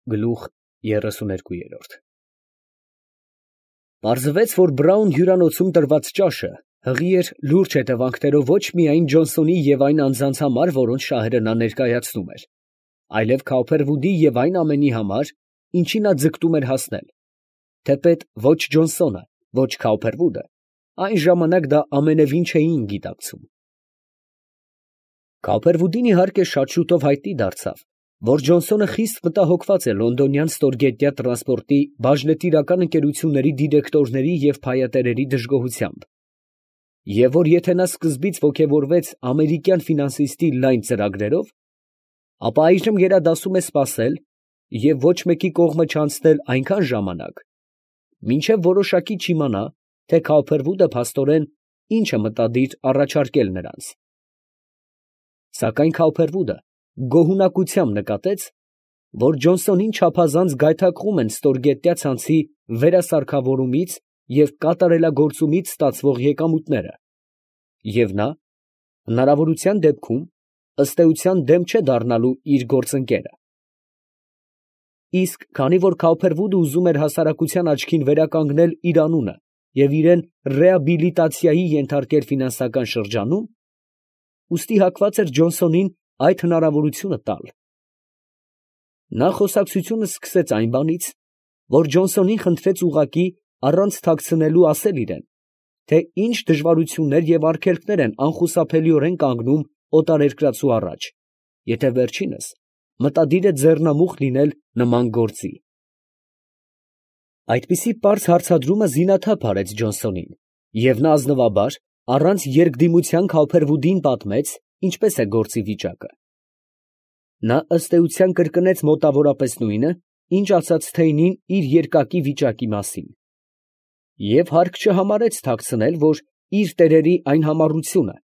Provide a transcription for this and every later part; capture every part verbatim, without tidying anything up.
Գլուխ երեսուներկու։ Պարզվեց, որ Բրաուն հյուրանոցում տրված ճաշը հղի էր լուրջ հետևանքներով ոչ միայն Ջոնսոնի և այն անձանց համար, որոնց շահերը նա ներկայացնում էր, այլև Քաուփերվուդի և այն ամենի համար, ինչի նա ձգտում էր հասնել, թեպետ ոչ Ջոնսոնը, ոչ Քաուփերվուդը այն ժամանակ դա ամենևին չէին գիտակցում։ Քաուփերվուդին իհարկե շատ շուտով հայտնի դարձավ, որ Ջոնսոնը խիստ մտահոգված է լոնդոնյան ստորգետնյա տրանսպորտի բաժնետիրական ընկերությունների դիրեկտորների և փայատերերի դժգոհությամբ, և որ եթե նա սկզբից ոգևորվեց ամերիկյան ֆինանսիստի լայն ծրագրերով, ապա այժմ գերադասում է սպասել և ոչ մեկի կողմը չանցնել այնքան ժամանակ, մինչև որոշակի չիմանա, թե Քաուփերվուդը փաստորեն ինչ է մտադիր առաջարկել նրանց։ Սակայն Քաուփերվուդը գոհունակությամբ նկատեց, որ Ջոնսոնին չափազանց գայթակղում են ստորգետնյա ցանցի վերասարքավորումից և կատարելագործումից ստացվող եկամուտները, և նա, հնարավորության դեպքում, ըստ էության դեմ չէ դառնալու իր գործընկերը։ Իսկ քանի որ Քաուփերվուդը ուզում էր հասարակության աչքին վերականգնել իր անունը և իրան ռեաբիլիտացիայի ենթարկել ֆինանսական շրջանում, ուստի հակված էր Ջոնսոնին այդ հնարավորությունը տալ։ Նա խոսակցությունը սկսեց այն բանից, որ Ջոնսոնին խնդրեց ուղղակի առանց թաքցնելու ասել իրան, թե ինչ դժվարություններ և արգելքներ են անխուսափելիորեն կանգնում օտարերկրացու առաջ, եթե վերջինս մտադիր է ձեռնամուխ լինել նման գործի։ Այդպիսի պարզ հարցադրումը զինաթափ արեց Ջոնսոնին, և նա ազնվաբար, առանց երկդիմության Քաուփերվուդին պատմեց, ինչպես է գործի վիճակը։ Նա ըստ էության կրկնեց մոտավորապես նույնը, ինչ ասաց Թեյնին իր երկակի վիճակի մասին, և հարկ չհամարեց թաքցնել, որ իր տերերի այն համառությունը,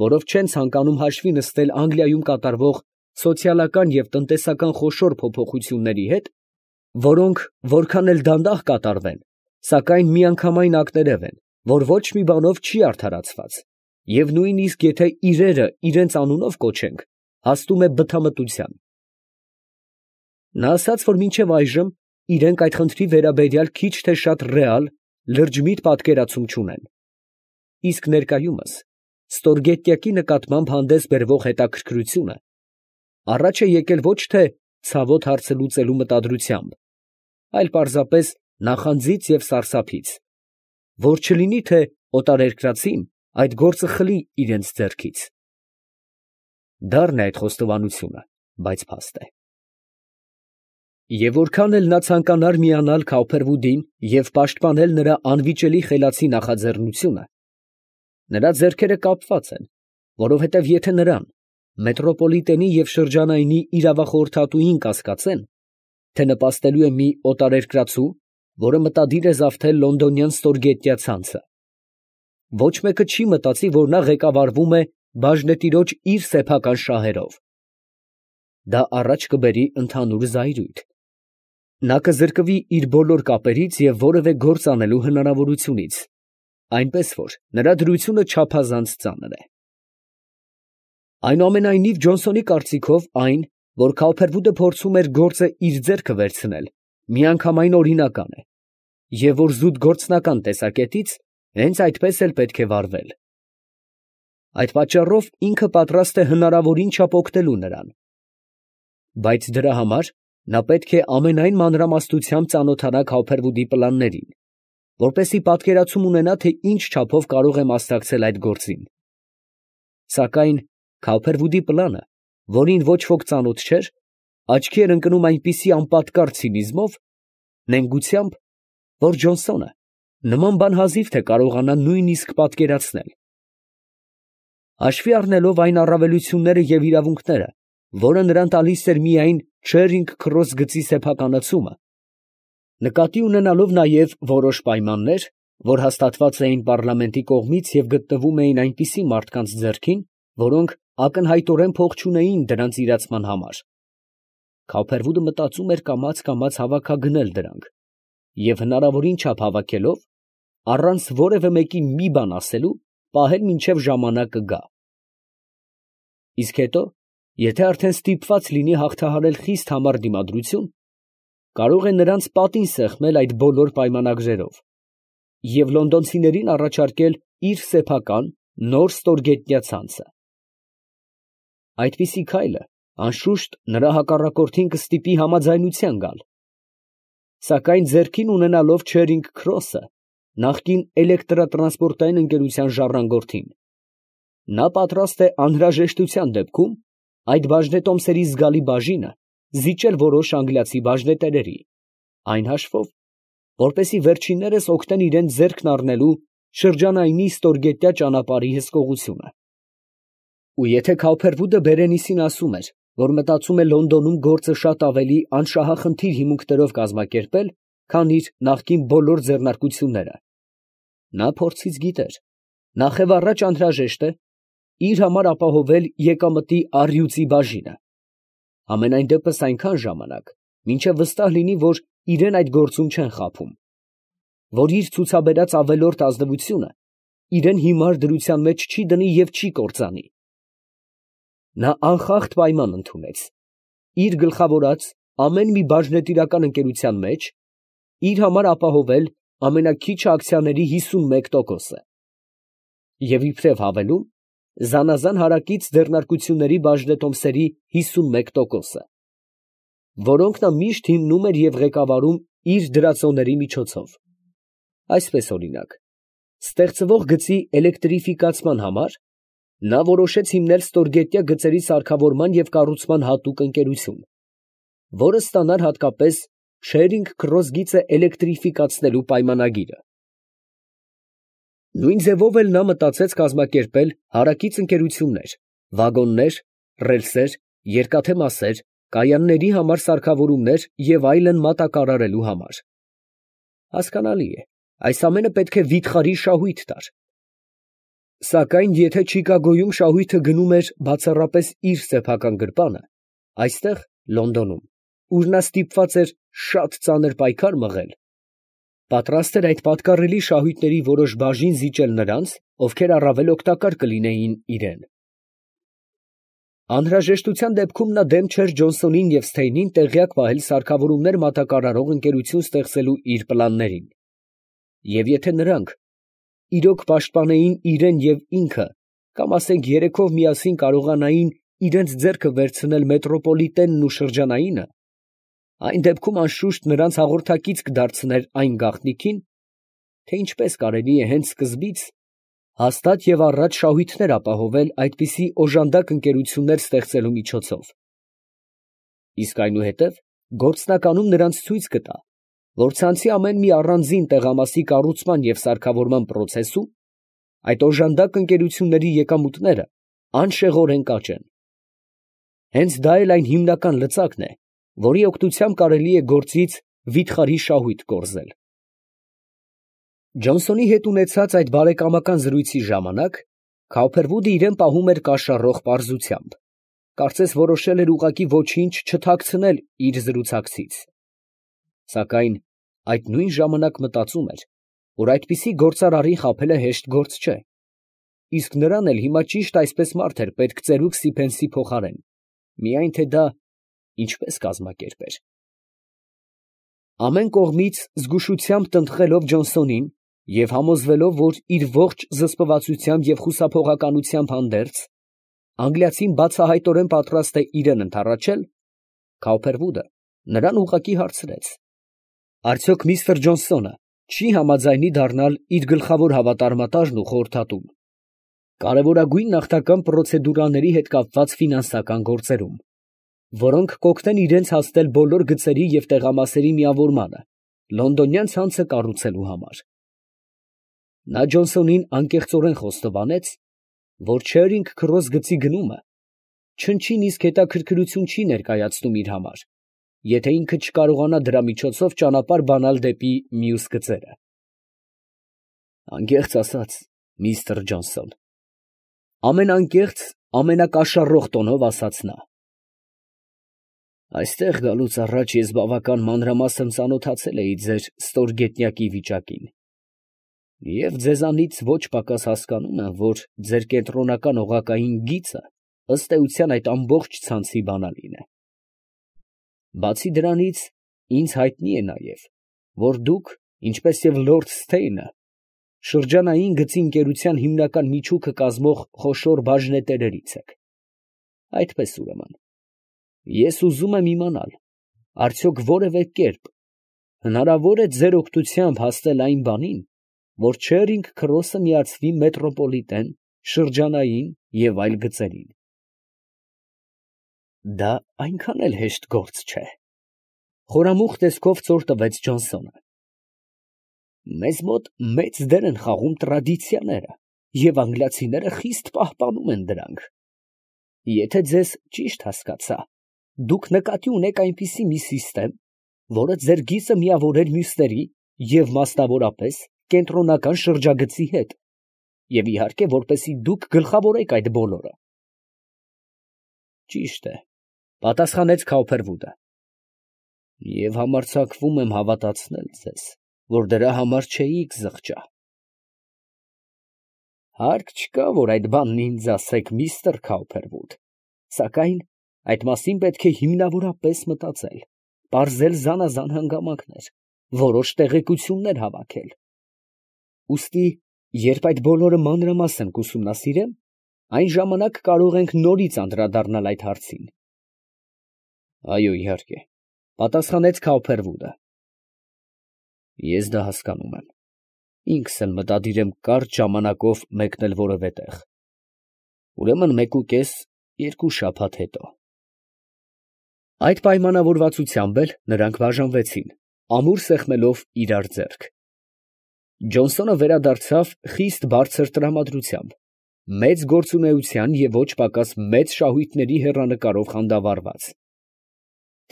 որով չեն ցանկանում հաշվի նստել Անգլիայում կատարվող սոցիալական և տնտեսական խոշոր փոփոխությունների հետ, որոնք որքան էլ դանդաղ կատարվեն, սակայն միանգամայն ակներև են, որ ոչ մի բանով չի արդարացված, և նույնիսկ եթե իրերը իրանց անունով կոչենք, հասնում է բթամտության։ Նա ասաց, որ մինչև այժմ իրենք այդ խնդրի վերաբերյալ քիչ թե շատ ռեալ, լրջմիտ պատկերացում չունեն, իսկ ներկայումս ստորգետնյակի նկատմամբ հանդես բերվող հետաքրքրությունը առաջ է եկել ոչ թե ցավոտ հարցը լուծելու մտադրությամբ, այլ պարզապես նախանձից և սարսափից, որ չլինի, թե օտարերկրացին այդ գործը խլի իրենց ձեռքից։ Դառն է այդ խոստովանությունը, բայց փաստ է։ Եվ որքան էլ նա ցանկանար միանալ Քաուփերվուդին և պաշտպանել նրա անվիճելի խելացի նախաձեռնությունը, նրա ձեռքերը կապված են, որովհետև եթե նրան, մետրոպոլիտենի և շրջանայինի իրավախորհրդատուին կասկածեն, թե նպաստելու է մի օտարերկրացու, որը մտադիր է զավթել լոնդոնյան ստորգետնյա ցանցը, ոչ մեկը չի մտածի, որ նա ղեկավարվում է բաժնետիրոջ իր սեփական շահերով։ Դա առաջ կբերի ընդհանուր զայրույթ։ Նա կզրկվի իր բոլոր կապերից և որևէ գործ անելու հնարավորությունից, այնպես որ նրա դրությունը չափազանց ծանր է։ Այնուամենայնիվ Ջոնսոնի կարծիքով այն, որ Քաուփերվուդը փորձում էր գործը իր ձեռքը վերցնել, միանգամայն օրինական է, և որ զուտ գործնական տեսակետից հենց այդպես էլ պետք է վարվել։ Այդ պատճառով ինքը պատրաստ է հնարավորին չափ օգնելու նրան, բայց դրա համար նա պետք է ամենայն մանրամասնությամբ ծանոթանա Քաուփերվուդի պլաններին, որպեսզի պատկերացում ունենա, թե ինչ չափով կարող է մասնակցել այդ գործին։ Սակայն Քաուփերվուդի պլանը, որին ոչ ոք ծանոթ չէր, աչքի էր ընկնում այնպիսի անպատկառ ցինիզմով, նենգությամբ, որ Ջոնսոնը նման բան հազիվ թե կարողանա նույնիսկ պատկերացնել։ Հաշվի առնելով այն առավելությունները և իրավունքները, որը նրան տալիս էր միայն Չերինգ Քրոս գծի սեփականացումը, նկատի ունենալով նաև որոշ պայմաններ, որ հաստատված էին պառլամենտի կողմից և գտնվում էին այնպիսի մարդկանց ձեռքին, որոնք ակնհայտորեն փող չունեին դրանց իրացման համար, Քաուփերվուդը մտածում էր կամաց֊կամաց հավաքագնել դրանք և հնարավորին չափ հավաքելով, առանց որևէ մեկին մի բան ասելու, պահել մինչև ժամանակը գա։ Իսկ հետո, եթե արդեն ստիպված լինի հաղթահարել խիստ համառ դիմադրություն, կարող է նրանց պատին սեղմել այդ բոլոր պայմանագրերով և լոնդոնցիներին առաջարկել իր սեփական նոր ստորգետնյա ցանցը։ Այդպիսի քայլը անշուշտ նրա հակառակորդին կստիպի համաձայնության գալ, սակայն ձեռքին ունենալով Չերինգ Քրոսը, նախկին էլեկտրատրանսպորտային ընկերության ժառանգորդին, նա պատրաստ է անհրաժեշտության դեպքում այդ բաժնետոմսերի զգալի բաժինը զիջել որոշ անգլիացի բաժնետերերի, այն հաշվով, որպեսզի վերջիններս օգնեն իրենց ձեռքն առնելու շրջանայինի ստորգետնյա ճանապարհի հսկողությունը։ Ու եթե Քауփերվուդը Բերենիսին ասում էր, որ մտածում է Լոնդոնում գործը շատ ավելի անշահախնդիր հիմունքներով կազմակերպել, քան իր նախկին բոլոր ձեռնարկությունները, նա փորձից գիտեր, նախևառաջ անհրաժեշտ է իր համար ապահովել եկամտի առյուծի բաժինը, համենայն դեպս այնքան ժամանակ, մինչև վստահ լինի, որ իրեն այդ գործում չեն խաբում, որ իր ցուցաբերած ավելորդ ազնվությունը իրեն հիմար դրության մեջ չի դնի և չի կործանի։ Նա անխախտ պայման ընդունեց իր գլխավորած ամեն մի բաժնետիրական ընկերության մեջ իր համար ապահովել ամենաքիչը ակցիաների հիսունմեկ տոկոսը և իբրև հավելում զանազան հարակից ձեռնարկությունների բաժնետոմսերի հիսունմեկ տոկոսը, որոնք նա միշտ հիմնում էր և ղեկավարում իր դրածոների միջոցով։ Այսպես օրինակ, ստեղծվող գծի էլեկտրիֆիկացման համար նա որոշեց հիմնել ստորգետնյա գծերի սարքավորման և կառուցման հատուկ ընկերություն, որը ստանար հատկապես Չերինգ Քրոս գիծը էլեկտրիֆիկացնելու պայմանագիրը։ Նույն ձևով էլ նա մտածեց կազմակերպել հարակից ընկերություններ, վագոններ, ռելսեր, երկաթե մասեր, կայանների համար սարքավորումներ և այլն մատակարարելու համար։ Հասկանալի է, այս ամենը պետք է վիթխարի շահույթ տար։ Սակայն եթե Չիկագոյում շահույթը գնում էր բացառապես իր սեփական գրպանը, այստեղ, Լոնդոնում, ուր նա ստիպված էր շատ ծանր պայքար մղել, պատրաստ էր այդ պատկառելի շահույթների որոշ բաժին զիջել նրանց, ովքեր առավել օգտակար կլինեին իրան։ Անհրաժեշտության դեպքում նա դեմ չէր Ջոնսոնին և Սթեյնին տեղյակ պահել սարքավորումներ մատակարարող ընկերություն ստեղծելու իր պլաններին, և եթե նրանք իրոք պաշտպանեին իրան և ինքը, կամ ասենք երեքով միասին կարողանային իրենց ձեռքը վերցնել մետրոպոլիտենն ու շրջանայինը, այն դեպքում անշուշտ նրանց հաղորդակից կդարձներ այն գաղտնիքին, թե ինչպես կարելի է հենց սկզբից հաստատ և առաջ շահույթներ ապահովել այդպիսի օժանդակ ընկերություններ ստեղծելու միջոցով, իսկ այնուհետև գործնականում նրանց ցույց կտա, որ ցանցի ամեն մի առանձին տեղամասի կառուցման և սարքավորման պրոցեսում այդ օժանդակ ընկերությունների եկամուտները անշեղորեն կաճեն։ Հենց դա էլ այն հիմնական լծակն է, որի օգնությամբ կարելի է գործից վիթխարի շահույթ կորզել։ Ջոնսոնի հետ ունեցած այդ բարեկամական զրույցի ժամանակ Քауփերվուդը իրան պահում էր կաշառող պարզությամբ, կարծես որոշել էր ուղղակի ոչինչ չթաքցնել իր զրուցակցից, սակայն այդ նույն ժամանակ մտածում էր, որ այդպիսի գործարարին խաբելը հեշտ գործ չէ, իսկ նրան էլ հիմա ճիշտ այսպես մարդ էր պետք ծերուկ Սիփենսի փոխարեն, միայն թե դա ինչպես կազմակերպեր։ Ամեն կողմից զգուշությամբ տնտղելով Ջոնսոնին և համոզվելով, որ իր ողջ զսպվածությամբ և խուսափողականությամբ հանդերձ, անգլիացին բացահայտորեն պատրաստ է իրան ընդառաջել, Քауփերվուդը նրան ուղղակի հարցրեց. «Արդյոք միստր Ջոնսոնը չի համաձայնի դառնալ իր գլխավոր հավատարմատարն ու խորհրդատուն կարևորագույն նախնական պրոցեդուրաների հետ կապված ֆինանսական գործերում, որոնք կօգնեն իրենց հասնել բոլոր գծերի և տեղամասերի միավորմանը լոնդոնյան ցանցը կառուցելու համար»։ Նա Ջոնսոնին անկեղծորեն խոստովանեց, որ Չերինգ Քրոս գծի գնումը չնչին իսկ հետաքրքրություն չի ներկայացնում իր համար, եթե ինքը չկարողանա դրա միջոցով ճանապարհ բանալ դեպի մյուս գծերը։ «Անկեղծ ասած, միստր Ջոնսոն, ֊ ամենանկեղծ, ամենակաշառող տոնով ասաց նա, ֊ այստեղ գալուց առաջ ես բավական մանրամասն ծանոթացել էի ձեր ստորգետնյակի վիճակին և ձեզանից ոչ պակաս հասկանում եմ, որ ձեր կենտրոնական օղակային գիծը ըստ էության այդ ամբողջ ցանցի բանալին է։ Բացի դրանից, ինձ հայտնի է նաև, որ դուք, ինչպես և լորդ Սթեյնը, շրջանային գծի ընկերության հիմնական միջուկը կազմող խոշոր բաժնետերերից եք. այդպես ուրեմն, ես ուզում եմ իմանալ, արդյոք որևէ կերպ հնարավոր է ձեր օգնությամբ հասնել այն բանին, որ Չերինգ Քրոսը միացվի մետրոպոլիտեն, շրջանային և այլ գծերին։ Դա այնքան էլ հեշտ գործ չէ, խորամուխ տեսքով ծոր տվեց Ջոնսոնը։ Մեզ մոտ մեծ դեր են խաղում տրադիցիաները, և անգլիացիները խիստ պահպանում են դրանք։ Եթե ձեզ ճիշտ հասկացա, դուք նկատի ունեք այնպիսի մի սիստեմ, որը ձեր գիծը միավորեր մյուսների և մասնավորապես կենտրոնական շրջագծի հետ, և իհարկե, որպեսզի դուք գլխավորեք այդ բոլորը։ Ճիշտ է, պատասխանեց Քաուփերվուդը, և համարձակվում եմ հավատացնել ձեզ, որ դրա համար չէիք զղջա։ Հարկ չկա, որ այդ բանն ինձ ասեք, միստր Քաուփերվուդ, սակայն այդ մասին պետք է հիմնավորապես մտածել, պարզել զանազան հանգամանքներ, որոշ տեղեկություններ հավաքել։ Ուստի, երբ այդ բոլորը մանրամասն կուսումնասիրեմ, այն ժամանակ կարող ենք նորից անդրադառնալ այդ հարցին։ Այո, իհարկե, պատասխանեց Քաուփերվուդը։ Ես դա հասկանում եմ, ինքս էլ մտադիր եմ կարճ ժամանակով մեկնել որևէ տեղ, ուրեմն մեկուկես, երկու շաբաթ հետո։ Այդ պայմանավորվածությամբ էլ նրանք բաժանվեցին, ամուր սեղմելով իրար ձեռք։ Ջոնսոնը վերադարձավ խիստ բարձր տրամադրությամբ, մեծ գործունեության և ոչ պակաս մեծ շահույթների հեռանկարով խանդավառված։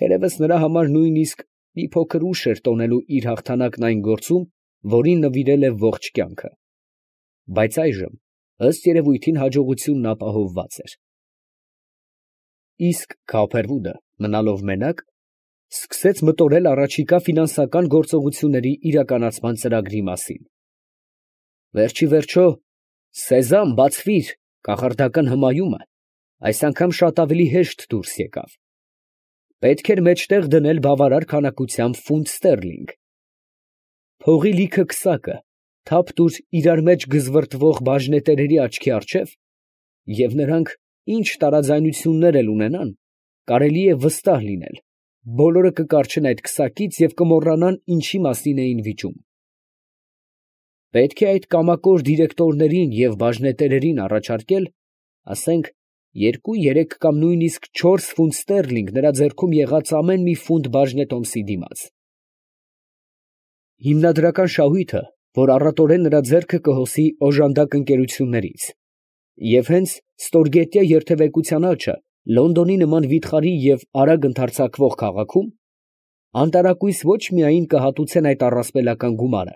Թերևս նրա համար նույնիսկ մի փոքր ուշ էր տոնելու իր հաղթանակն այն գործում, որին նվիրել է ողջ կյանքը, բայց այժմ, ըստ երևույթին, հաջողությունն ապահովված էր։ Իսկ Քաուփերվուդը, մնալով մենակ, սկսեց մտորել առաջիկա ֆինանսական գործողությունների իրականացման ծրագրի մասին։ Վերջիվերջո, «Սեզամ, բացվիր» կախարդական հմայումը այս անգամ շատ ավելի հեշտ դուրս եկավ։ Պետք էր մեջտեղ դնել բավարար քանակությամբ ֆունտ ստերլինգ։ Փողի լիքը քսակը թափ տուր իրար մեջ գզվռտվող բաժնետերերի աչքի առջև, և նրանք ինչ տարաձայնություններ էլ ունենան, կարելի է վստահ լինել, բոլորը կկառչեն այդ քսակից և կմոռանան ինչի մասին էին վիճում։ Պետք է այդ կամակոր դիրեկտորներին և բաժնետերերին առաջարկել, ասենք, երկու, երեք կամ նույնիսկ չորս ֆունտ ստերլինգ նրա ձեռքում եղած ամեն մի ֆունտ բաժնետոմսի դիմաց։ Հիմնադրական շահույթը, որ առատորեն նրա ձեռքը կհոսի օժանդակ ընկերություններից, և հենց ստորգետնյա երթևեկության աճը Լոնդոնի նման վիթխարի և արագ ընդարձակվող քաղաքում, անտարակույս ոչ միայն կհատուցեն այդ առասպելական գումարը,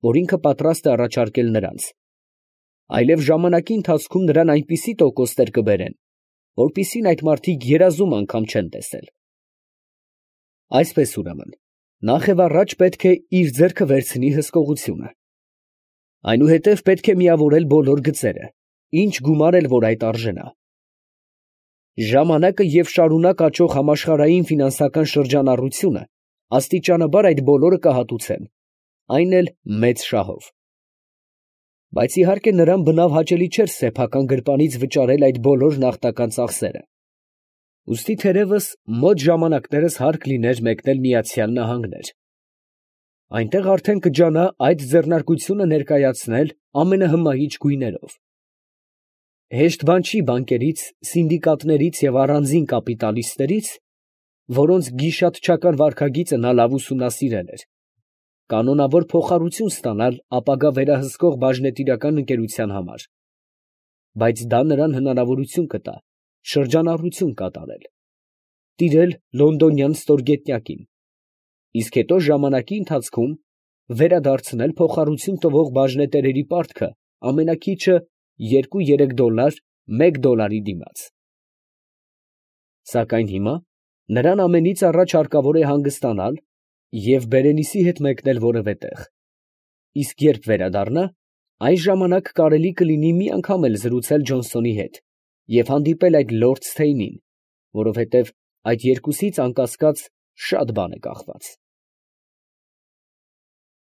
որ ինքը պատրաստ է առաջարկել նրանց, այլև ժամանակի ընթացքում նրան այնպիսի տոկոսներ կբերեն, որպիսին այդ մարդիկ երազում անգամ չեն տեսել։ Այսպես ուրեմն, նախևառաջ պետք է իր ձեռքը վերցնի հսկողությունը։ Այնուհետև պետք է միավորել բոլոր գծերը, ինչ գումար էլ որ այդ արժենա։ Ժամանակը և շարունակ աճող համաշխարհային ֆինանսական շրջանառությունը աստիճանաբար այդ բոլորը կհատուցեն, այն էլ մեծ շահով։ Բայց իհարկե նրան բնավ հաճելի չէր սեփական գրպանից վճարել այդ բոլոր նախնական ծախսերը։ Ուստի թերևս մոտ ժամանակներս հարկ լիներ մեկնել Միացյալ Նահանգներ։ Այնտեղ արդեն կջանա այդ ձեռնարկությունը ներկայացնել ամենահմայիչ գույներով։ Հեշտ բան չի բանկերից, սինդիկատներից և առանձին կապիտալիստներից, որոնց գիշատչական վարքագիծը նա լավ ուսումնասիրել էր, կանոնավոր փոխառություն ստանալ ապագա վերահսկող բաժնետիրական ընկերության համար, բայց դա նրան հնարավորություն կտա շրջանառություն կատարել, տիրել լոնդոնյան ստորգետնյակին, իսկ հետո ժամանակի ընթացքում վերադարձնել փոխառություն տվող բաժնետերերի պարտքը ամենաքիչը երկու֊երեք դոլար մեկ դոլարի դիմաց։ Սակայն հիմա նրան ամենից առաջ հարկավոր է հանգստանալ և Բերենիսի հետ մեկնել որևէ տեղ, իսկ երբ վերադառնա, այն ժամանակ կարելի կլինի մի անգամ էլ զրուցել Ջոնսոնի հետ և հանդիպել այդ լորդ Սթեյնին, որովհետև այդ երկուսից անկասկած Շատ բան է կախված։